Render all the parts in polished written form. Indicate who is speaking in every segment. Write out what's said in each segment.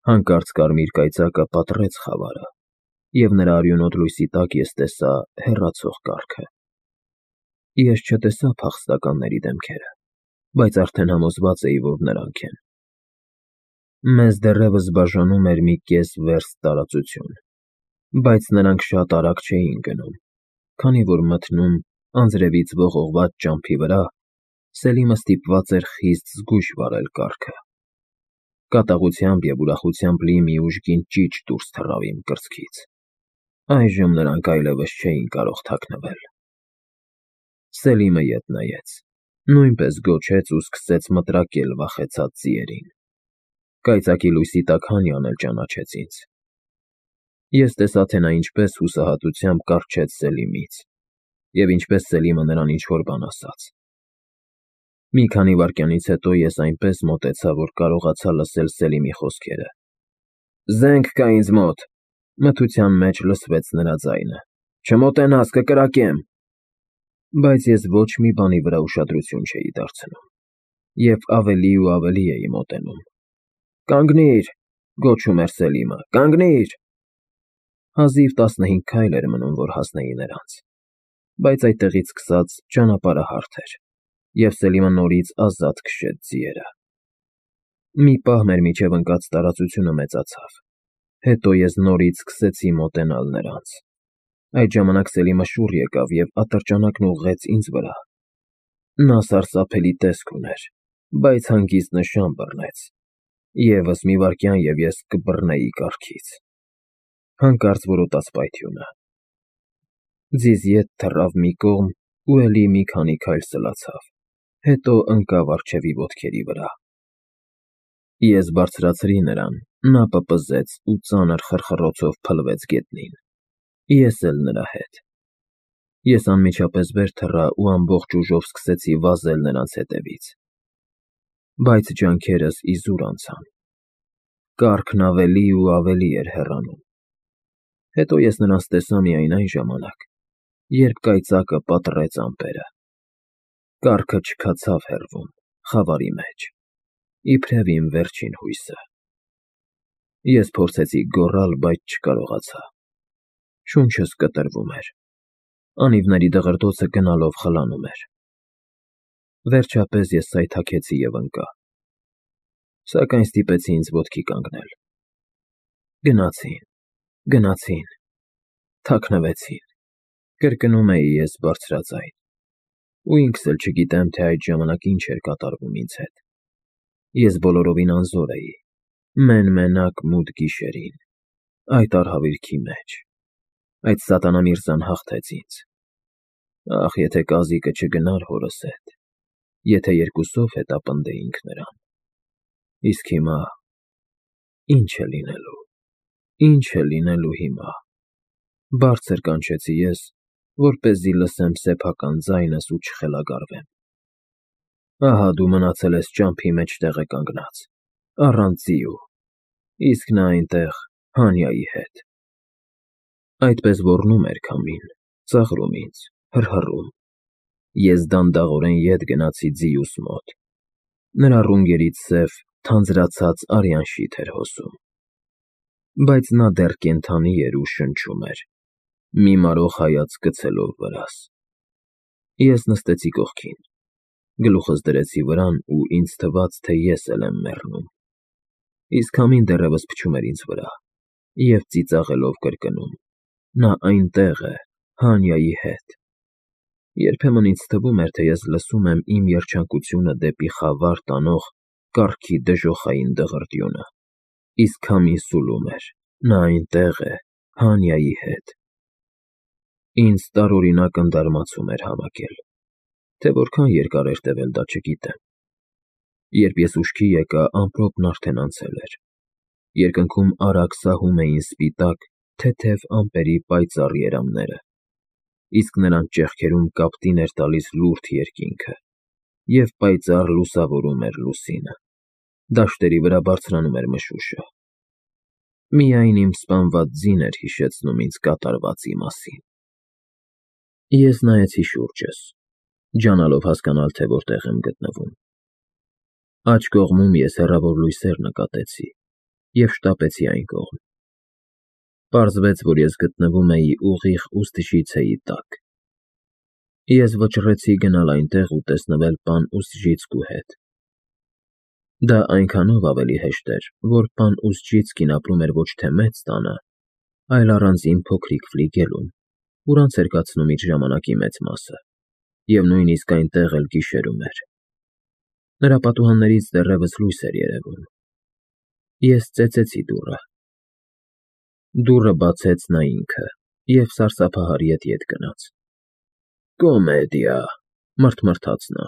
Speaker 1: Հանկարծ կարմիր կայծակը պատռեց խավարը, և նրա արյունոտ լույսի տակ ես տեսա հեռացող կառքը։ Ես չտեսա փախստականների դեմքերը, բայց արդեն համոզված էի, որ նրանք են։ Մեզ դեռևս բաժանում էր մի կես վերստ տարածություն, բայց նրանք շատ արագ չէին գնում, քանի որ մթնում անձրևից ողողված ճամփի վրա Սելիմը ստիպված էր խիստ զգույշ վարել կառքը։ Կատաղությամբ և ուրախությամբ լի մի ուժգին ճիչ դուրս թռավ իմ կրծքից։ Այժմ նրանք այլևս չէին կարող թաքնվել։ Սելիմը ետ նայեց, նույնպես գոչեց ու սկսեց մտրակել վախեցած ձիերին։ Կայծակի լույսի տակ Հանյան էլ ճանաչեց ինձ։ Ես տեսա, թե նա ինչպես հուսահատությամբ կառչեց Սելիմից, և ինչպես Սելիմը նրան ինչ-որ բան ասաց։ Մի քանի վայրկյանից հետո ես այնպես մոտեցա, որ կարողացա լսել Սելիմի խոսքերը. «Զենք կա ինձ մոտ», մթության մեջ լսվեց նրա ձայնը, «չմոտենաս, կկրակեմ»։ Բայց ես ոչ մի բանի վրա ուշադրություն չէի դարձնում, և ավելի ու ավելի էի մոտենում։ «Կանգնիր», գոչում էր Սելիմը, «կանգնիր»։ Հազիվ 15 քայլ էր մնում, որ հասնեի նրանց, բայց այդտեղից սկսած ճանապարհը հարթ էր, և Սելիմը նորից ազատ քշեց ձիերը։ Մի պահ մեր միջև ընկած տարածությունը մեծացավ, հետո ես նորից սկսեցի մոտենալ նրանց։ Այդ ժամանակ Սելիմը շուռ եկավ և ատրճանակն ուղղեց ինձ վրա։ Նա սարսափելի տեսք ուներ, բայց հանգիստ նշան բռնեց։ Եվս մի վայրկյան, և ես կբռնեի կառքից։ Հանկարծ որոտաց պայթյունը։ Ձիզ ետ թռավ մի կողմ ու էլի մի քանի քայլ սլացավ, հետո ընկավ առջևի ոտքերի վրա։ Ես բարձրացրի նրան, նա պպզեց ու ծանր խռխռոցով փլվեց գետնին։ Ես էլ նրա հետ։ Ես անմիջապես վեր թռա ու ամբողջ ուժով սկսեցի վազել նրանց հետևից։ Բայց ջանքերս իզուր անցան։ Կառքն ավելի ու ավելի էր հեռանում։ Հետո ես նրանց տեսա միայն այն ժամանակ, երբ կայծակը պատռեց ամպերը։ Կառքը չքացավ հեռվում, խավարի մեջ, իբրև իմ վերջին հույսը։ Ես փորձեցի գոռալ, բայց չկարողացա։ Շունչս կտրվում էր։ Անիվների դղրդոցը գնալով խլանում էր։ Վերջապես ես սայթաքեցի և ընկա։ Սակայն ստիպեցի ինձ ոտքի կանգնել։ Գնացին, թաքնվեցին, կրկնում էի ես բարձրաձայն, ու ինքս էլ չգիտեմ, թե այդ ժամանակ ինչ էր կատարվում ինձ հետ։ Ես բոլորովին անզոր էի, մեն֊մենակ մութ գիշերին, այդ արհավիրքի մեջ։ Այդ սատանա Միրզան հաղթեց ինձ։ Ախ, եթե կազիկը չգնար հորս հետ, եթե երկուսով հետապնդեինք նրան։ Իսկ հիմա… ի՞նչ է լինելու հիմա։ Բարձր կանչեցի ես, որպեսզի լսեմ սեփական ձայնս ու չխելագարվեմ։ Ահա դու մնացել ես ճամփի մեջտեղը կանգնած, առանց ձիու, իսկ նա այնտեղ Հանյայի հետ։ Այդպես ոռնում էր քամին, ծաղրում ինձ, հռհռում։ Ես դանդաղորեն ետ գնացի ձիուս մոտ։ Նրա ռունգերից սև, թանձրացած արյան շիթ էր հոսում։ Բայց նա դեռ կենդանի էր ու շնչում էր, մի մարող հայացք գցելով վրաս։ Ես նստեցի կողքին, գլուխս դրեցի վրան ու ինձ թվաց, թե ես էլ եմ մեռնում։ Իսկ քամին դեռևս փչում էր ինձ վրա և ծիծաղելով կրկնում. «Նա այնտեղ է, Հանյայի հետ»։ Երբեմն ինձ թվում էր, թե ես լսում եմ իմ երջանկությունը դեպի խավար տանող կառքի դժոխային դղրդյունը, իսկ քամին սուլում էր. «Նա այնտեղ է, Հանյայի հետ»։ Ինձ տարօրինակ ընդարմացում էր հավաքել, թե որքան երկար էր տևել դա չգիտեմ։ Երբ ես ուշքի եկա, ամպրոպն արդեն անցել էր։ Երկնքում արագ սահում էին սպիտակ, թեթև ամպերի պայծառ երամները, իսկ նրանց ճեղքերում կապտին էր տալիս լուրջ երկինքը, և պայծառ լուսավորում էր լուսինը։ Դաշտերի վրա բարձրանում էր մշուշը։ Միայն իմ սպանված ձին էր հիշեցնում ինձ կատարվածի մասին։ Ես նայեցի շուրջս, ջանալով հասկանալ, թե որտեղ եմ գտնվում։ Աջ կողմում ես հեռավոր լույսեր նկատեցի և շտապեցի այն կողմ։ Պարզվեց, որ ես գտնվում էի ուղիղ ուսուցիցեի տակ։ Ես վճռեցի գնալ այնտեղ ու տեսնվել պան Ուսժիցկու հետ։ Դա այնքանով ավելի հեշտ էր, որ պան Ուսժիցկին ապրում էր ոչ թե մեծ տանը, այլ առանձին փոքրիկ ֆլիգելում, ուր անց էր կացնում իր ժամանակի մեծ մասը, և նույնիսկ այնտեղ էլ գիշերում էր։ Նրա պատուհաններից դեռևս լույս էր երևում։ Ես ծեծեցի դուռը։ Դուռը բացեց նա ինքը և սարսափահար ետ գնաց։ «Կոմեդիա», մռթմռթաց նա,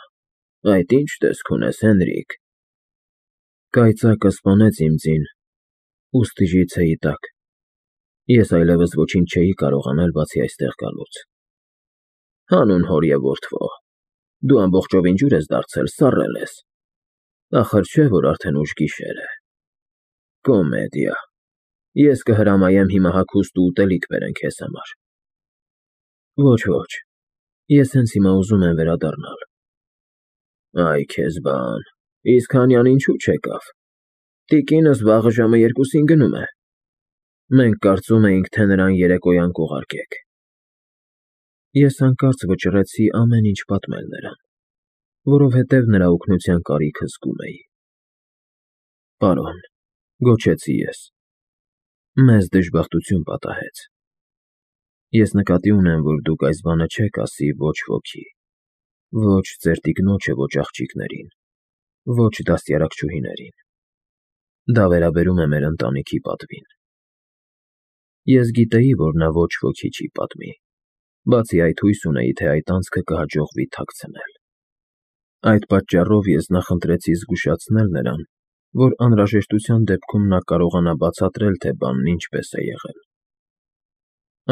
Speaker 1: «այդ ի՞նչ տեսք ունես, Հենրիկ»։ Կայծակը սպանեց իմ ձին Ուստժիցեի տակ։ Ես այլևս ոչինչ չէի կարող անել, բացի այստեղ գալուց։ Հանուն հոր և որդվո, դու ամբողջովին ջուր ես դարձել, սառել ես։ Ախր չէ, որ արդեն ուշ գիշեր է։ Կոմեդիա, ես կհրամայեմ հիմա հագուստ ու ուտելիք բերեն քեզ համար։ Ոչ, ես հենց հիմա ուզում եմ վերադառնալ։ Այ քեզ բան, իսկ Հանյան ինչու չեկավ։ Տիկինս վաղը ժամը 2-ին գնում է։ Մենք կարծում էինք, թե նրան երեկոյան կուղարկեք։ Ես հանկարծ վճռեցի ամեն ինչ պատմել նրան, որովհետև նրա օգնության կարիքը զգում էի։ Պարոն, գոչեցի ես, մեզ դժբախտություն պատահեց։ Ես նկատի ունեմ, որ դուք այս բանը չեք ասի ոչ ոքի, ոչ ձեր տիկնոջը, ոչ աղջիկներին, ոչ դաստիարակչուհիներին։ Դա վերաբերում է մեր ընտանիքի պատվին։ Ես գիտեի, որ նա ոչ ոքի չի պատմի, բացի այդ հույս ունեի, թե այդ անցքը կհաջողվի թաքցնել։ Այդ պատճառով ես նախընտրեցի զգուշացնել նրան, որ անհրաժեշտության դեպքում նա կարողանա բացատրել, թե բանն ինչպես է եղել։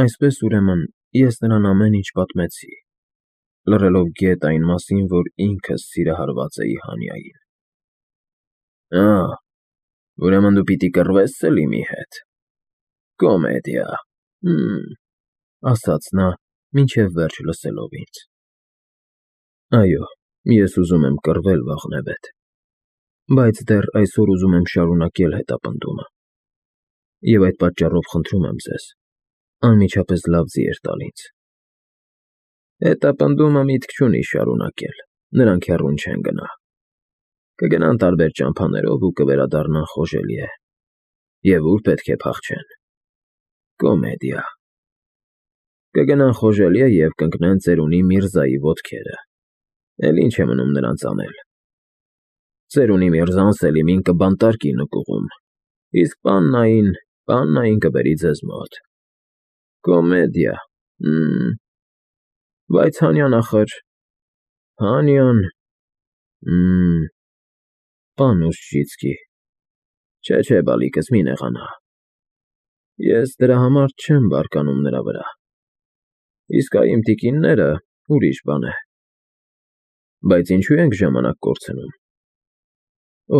Speaker 1: Այսպես, ուրեմն, ես նրան ամեն ինչ պատմեցի, լռելով գետ այն մասին, որ ինքս սիրահարված էի Հանյային։ Ուրեմն դու պիտի կռվես Սելիմի հետ։ Կոմեդիա, ասաց նա, մինչև վերջ լսելով ինձ։ Այո, ես ուզում եմ կռվել վաղնևեթ, բայց դեռ այսօր ուզում եմ շարունակել հետապնդումը։ Եվ այդ պատճառով խնդրում եմ ձեզ, անմիջապես լավ ձիեր տալ ինձ։ Հետապնդումը միտք չունի շարունակել, նրանք հեռուն չեն գնա։ Կգնան տարբեր ճամփաներով ու կվերադառնան Խոժելիե։ Եվ ուր պետք է փախչեն։ Կոմեդիա։ Կգնան Խոժելիե և կընկնեն ծերունի Միրզայի ոտքերը։ Էլ ինչ է մնում նրանց անել։ Ծերունի Միրզան Սելիմին կբանտարկի նկուղում, իսկ պաննային կբերի ձեզ մոտ։ Կոմեդիա։ Բայց Հանյան ախր… Հանյան… Պան Ուսժիցկի… Չէ, բալիկս, մի նեղանա։ Ես դրա համար չեմ բարկանում նրա վրա։ Իսկ այ իմ տիկինները ուրիշ բան է։ Բայց ինչու ենք ժամանակ կորցնում։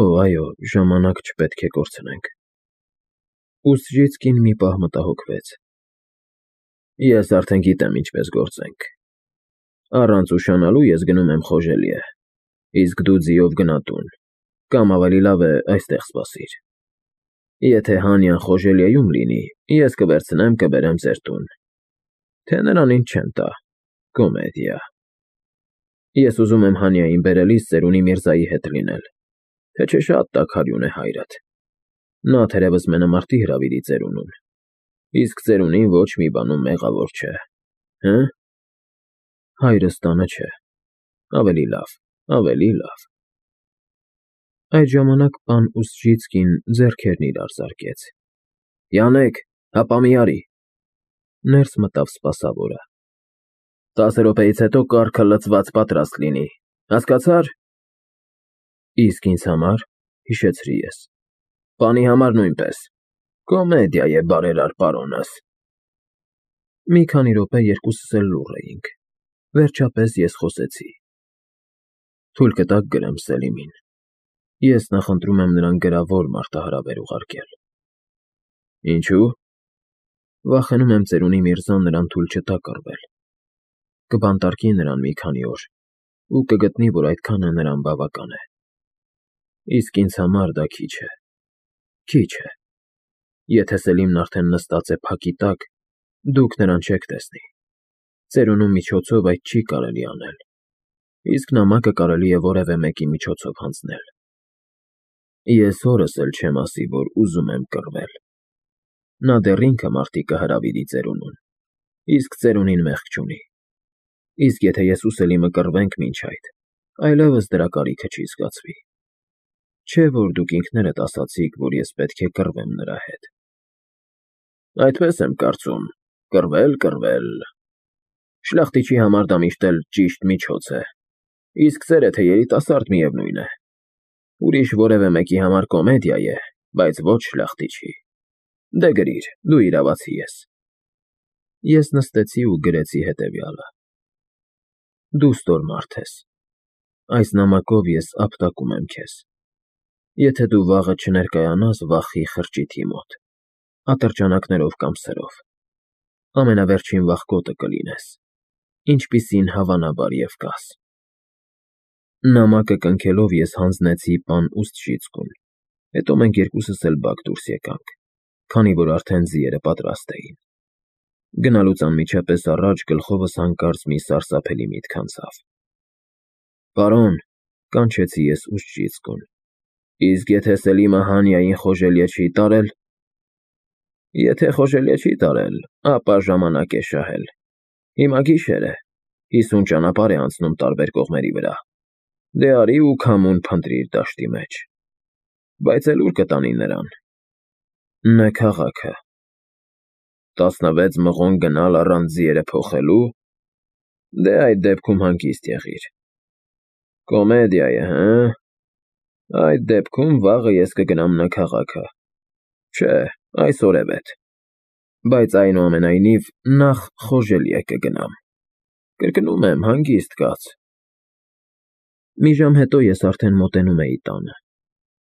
Speaker 1: Այո, ժամանակ չպետք է կորցնենք։ Ուսժիցկին մի պահ մտահոգվեց։ Ես արդեն գիտեմ ինչպես գործենք։ Առանց ուշանալու ես գնում եմ Խոժելիե, իսկ դու ձիով գնա տուն, կամ ավելի լավ է այստեղ սպասիր։ Եթե Հանյան Խոժելիեում լինի, ես կվերցնեմ, կբերեմ ձեր տուն։ Թե նրան ինչ չեմ տա։ Կոմեդիա։ Ես ուզում եմ Հանյային բերելիս ծերունի Միրզայի հետ լինել, թե չէ շատ տաքարյուն է հայրդ։ Նա թերևս մենամարտի հրավիրի ծերունուն, իսկ ծերունին ոչ մի բանում մեղավոր չէ։ Հայրս տանը չէ։ Ավելի լավ։ Այդ ժամանակ պան Ուսժիցկին ձեռքերն իրար զարկեց։ Յանեկ, հապա մի արի։ Ներս մտավ սպասավորը։ 10 րոպեից հետո կառքը լցված պատրաստ լինի, հասկացա՞ր։ Իսկ ինձ համար, հիշեցրի ես։ Պանի համար նույնպես։ Կոմեդիա է, բարերար պարոնս։ Մի քանի րոպե երկուսս էլ լուռ էինք։ Վերջապես ես խոսեցի։ Թույլ կտաք գրեմ Սելիմին։ Ես նախընտրում եմ նրան գրավոր մարտահրավեր ուղարկել։ Ինչու՞։ Վախենում եմ ծերունի Միրզան նրան թույլ չտա կռվել։ Կբանտարկի նրան մի քանի օր ու կգտնի, որ այդքանը նրան բավական է։ Իսկ ինձ համար դա քիչ է։ Եթե Սելիմն արդեն նստած է փակի տակ, դուք նրան չեք տեսնի։ Ծերունու միջոցով այդ չի կարելի անել, իսկ նամակը կարելի է որևէ մեկի միջոցով հանձնել։ Ես հորս էլ չեմ ասի, որ ուզում եմ կռվել։ Նա դեռ ինքը մարտի կհրավիրի ծերունուն, իսկ ծերունին մեղք չունի։ Իսկ եթե ես ու Սելիմը կռվենք մինչ այդ, այլևս դրա կարիքը չի զգացվի։ Չէ՞ որ դուք ինքներդ ասացիք, որ ես պետք է կռվեմ նրա հետ։ Այդպես եմ կարծում, կռվել։ Շլախտիչի համար դա միշտ էլ ճիշտ միջոց է, իսկ ծերը թե երիտասարդ միևնույն է։ Ուրիշ որևէ մեկի համար կոմեդիա է, բայց ոչ շլախտիչի։ Դե գրիր, դու իրավացի ես։ Ես նստեցի ու գրեցի հետևյալը. Դու ստոր մարդ ես։ Այս նամակով ես ապտակում եմ քեզ։ Եթե դու վաղը չներկայանաս վախի խրճիթի մոտ, ատրճանակներով կամ սրով, ամենավերջին վախկոտը կլինես, ինչպիսին հավանաբար և կաս։ Նամակը կնքելով ես հանձնեցի պան Ուստ-Շիցկուն, հետո մենք երկուսս էլ բակ դուրս եկանք, քանի որ արդեն ձիերը պատրաստ էին։ Գնալուց անմիջապես առաջ գլխովս հանկարծ մի սարսափելի միտք անցավ։ Պարոն, կանչեցի ես Ուստ-Շիցկուն, իսկ եթե Սելիմը Հանիային խոժելիե չի տարել։ Եթե խոժելիե չի տարել, ապա ժամանակ է շահել։ Հիմա գիշեր է, 50 ճանապարհ է անցնում տարբեր կողմերի վրա։ Դե արի ու քամուն փնտրիր դաշտի մեջ։ Բայց էլ ուր կտանի նրան։ Նա քաղաքը։ 16 մղոն գնալ առանց ձիերը փոխելու։ Դե այդ դեպքում հանգիստ եղիր։ Կոմեդիա է, հը՞։ Այդ դեպքում վաղը ես կգնամ նա քաղաքը։ Չէ, այսօր է վետ։ Բայց այնուամենայնիվ նախ խոժելիե կգնամ։ Կրկնում եմ, հանգիստ կաց։ Մի ժամ հետո ես արդեն մոտենում էի տանը։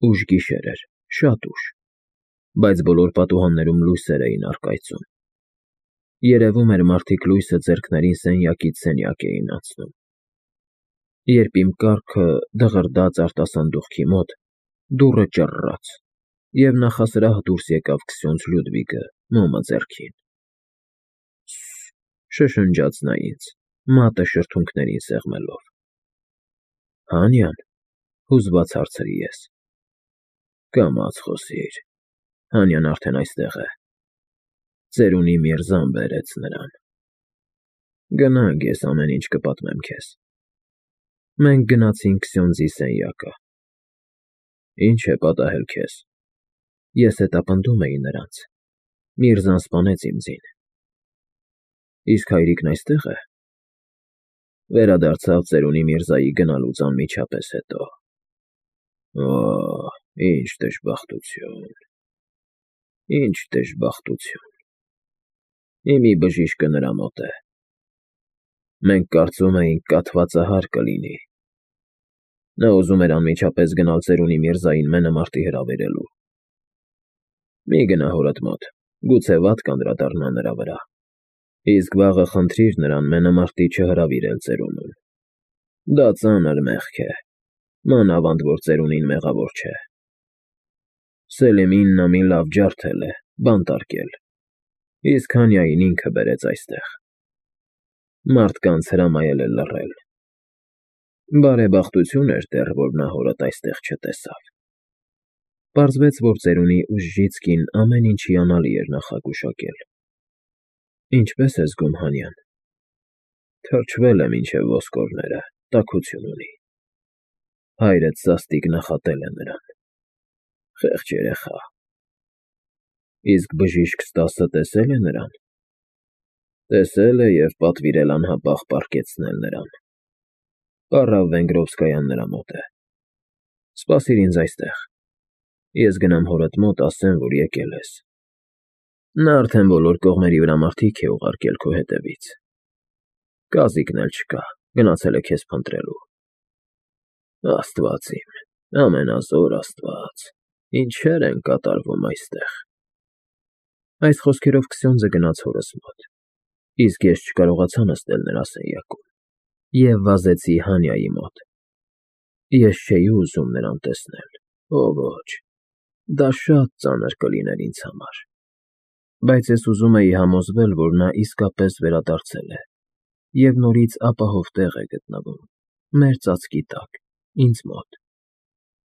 Speaker 1: Ուշ գիշեր էր, շատ ուշ, բայց բոլոր պատուհաններում լույսեր էին առկայծում։ Երևում էր մարդիկ լույսը ձեռքներին սենյակից սենյակ էին անցնում։ Երբ իմ կառքը դղրդաց արտասանդուղքի մոտ, դուռը ճռռաց, և նախասրահ դուրս եկավ Քսյոնձ Լյուդվիգը, մոմը ձեռքին։ Շշնջաց նա ինձ, մատը շրթունքներին սեղմելով։ Հանյան, հուզված հարցրի ես։ Կամաց խոսիր, Հանյան արդեն այստեղ է։ Ծերունի Միրզան բերեց նրան։ Գնանք, ես ամեն ինչ կպատմեմ քեզ։ Մենք գնացինք Քսյոնձի սենյակը։ Ինչ է պատահել քեզ։ Ես հետապնդում էի նրանց։ Միրզան սպանեց իմ ձին։ Իսկ հայրիկն այստեղ է։ Վերադարձավ ծերունի Միրզայի գնալուց անմիջապես հետո։ Օ, ինչ դժբախտություն։ Ինչ դժբախտություն։ Իմի բժիշկը նրա մոտ է։ Մենք կարծում էինք կաթվածահար կլինի։ Նա ուզում էր անմիջապես գնալ ծերունի Միրզային մենամարտի հրավիրելու։ Մի գնա հորդ մոտ, գուցե վատ կանդրադառնա նրա վրա։ Իսկ վաղը խնդրիր նրան մենամարտի չհրավիրել ծերունուն։ Դա ծանր մեղք է, մանավանդ որ ծերունին մեղավոր չէ։ Սելիմին նա մի լավ ջարդել է, բանտարկել, իսկ Հանյային ինքը բերեց այստեղ։ Մարդկանց հրամայել է լռել։ Բարեբախտություն էր դեռ, որ նա հորդ այստեղ չտեսավ։ Պարզվեց, որ ծերունի Ուժժիցկին ամեն ինչ հիանալի էր նախագուշակել։ Ինչպե՞ս է զգում Հանյան։ Թրջվել է մինչև ոսկորները, տաքություն ունի։ Հայրդ սաստիկ նախատել է նրան։ Խեղճ երեխա։ Իսկ բժիշկ Ստասը տեսել է նրան։ Տեսել է և պատվիրել անհապաղ պառկեցնել նրան։ Պառավ Վենգրովսկայան նրա մոտ է։ Սպասիր ինձ այստեղ։ Ես գնամ հորդ մոտ, ասեմ, որ եկել ես։ Նա արդեն բոլոր կողմերի վրա մարդիկ է ուղարկել քո հետևից։ Կազիկն էլ չկա, գնացել է քեզ փնտրելու։ Աստված իմ, ամենազոր Աստված, ինչեր են կատարվում այստեղ։ Այս խոսքերով Քսյոնձը գնաց հորս մոտ, իսկ ես չկարողացա նստել նրա սենյակում և վազեցի Հանյայի մոտ։ Ես չէի ուզում նրան տեսնել, օ ոչ, դա շատ ծանր կլիներ ինձ համար։ Բայց ես ուզում էի համոզվել, որ նա իսկապես վերադարձել է և նորից ապահով տեղ է գտնվում, մեր ծածկի տակ, ինձ մոտ,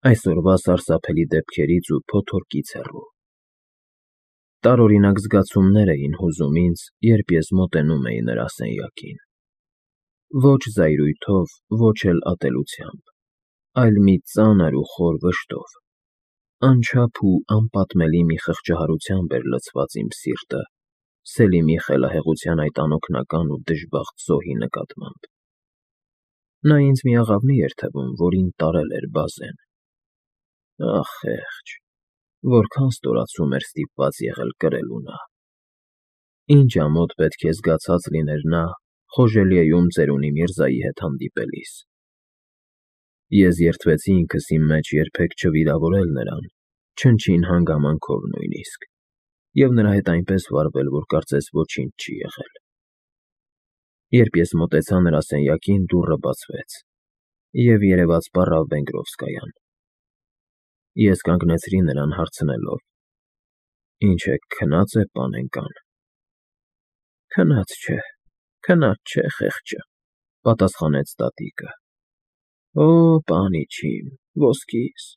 Speaker 1: այսօրվա սարսափելի դեպքերից ու փոթորկից հեռու։ Տարօրինակ զգացումներ էին հուզում ինձ, երբ ես մոտենում էի նրա սենյակին։ Ոչ զայրույթով, ոչ էլ ատելությամբ, այլ մի ծանր ու խոր վշտով, անչափ ու անպատմելի մի խղճահարությամբ էր լցված իմ սիրտը Սելիմի խելահեղության այդ անօգնական ու դժբախտ զոհի նկատմամբ։ Նա ինձ մի աղավնի էր թվում, որին տարել էր բազեն։ Ախ, խեղճ, որքան ստորացում էր ստիպված եղել կրելու նա։ Ինչ ամոթ պետք է զգացած լիներ նա Խոժելիեում ծերունի Միրզայի հետ հանդիպելիս։ Ես երդվեցի ինքս իմ մեջ երբեք չվիրավորել նրան, չնչին հանգամանքով նույնիսկ, և նրա հետ այնպես վարվել, որ կարծես ոչինչ չի եղել։ Երբ ես մոտեցա նրա սենյակին, դուռը բացվեց, և երևաց պառավ Վենգրովսկայան։ Ես կանգնեցրի նրան հարցնելով. «Ինչ է, քնած է, պանենկան»։ Քնած չէ, խեղճը, պատասխանեց տատիկը։ Օ, պանիչիմ, ոսկիս,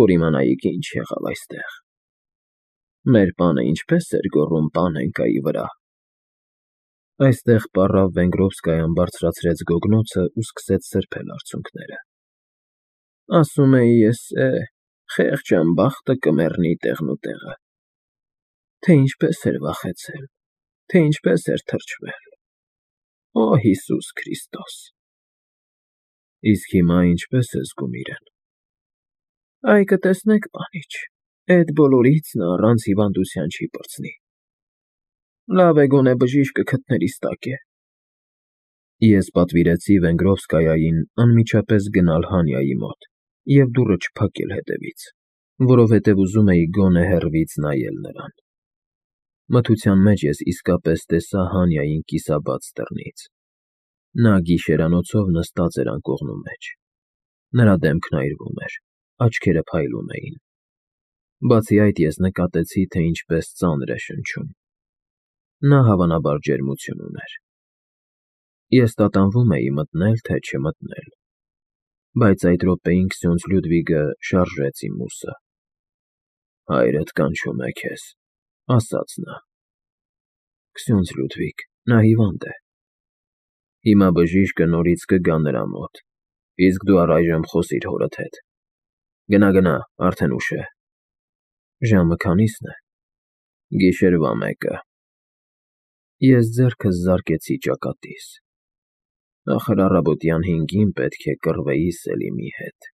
Speaker 1: որ իմանայիք ինչ եղավ այստեղ։ Մեր պանը ինչպես էր գոռում Պանենկայի վրա։ Այստեղ պառավ Վենգրովսկայան բարձրացրեց գոգնոցը ու սկսեց սրբել արցունքները։ Ասում էի ես, խեղճ անբախտը կմեռնի տեղնուտեղը։ Թե ինչպես էր վախեցել, թե ինչպես էր թրջվել։ Օ, Հիսուս Քրիստոս։ Իսկ հիմա ինչպես է զգում իրեն։ Այ կտեսնեք, պանիչ, էդ բոլորից նա առանց հիվանդության չի պրծնի։ Լավ է գոնե բժիշկը քթներիս տակ է։ Ես պատվիրեցի Վենգրովսկայային անմիջապես գնալ Հանյայի մոտ և դուռը չփակել հետևից, որովհետև ուզում էի գոնե հեռվից նայել նրան։ Մթության մեջ ես իսկապես տեսա Հանյային կիսաբաց դռնից։ Նա գիշերանոցով նստած էր անկողնու մեջ։ Նրա դեմքն այրվում էր, աչքերը փայլում էին։ Բացի այդ ես նկատեցի, թե ինչպես ծանր է շնչում։ Նա հավանաբար ջերմություն ուներ։ Ես տատանվում էի մտնել, թե չմտնել, բայց այդ րոպեին Քսյոնձ Լյուդվիգը շարժեց իմ ուսը։ Հայրդ կանչում է քեզ, ասաց նա։ Քսյոնձ Լյուդվիգ, նա հիվանդ է։ Հիմա բժիշկը նորից կգա նրա մոտ, իսկ դու առայժմ խոսիր հորդ հետ։ Գնա, արդեն ուշ է։ Ժամը քանի՞սն է։ Գիշերվա 1-ը։ Ես ձեռքս զարկեցի ճակատիս։ Ախր առավոտյան 5-ին պետք է կռվեի Սելիմի հետ։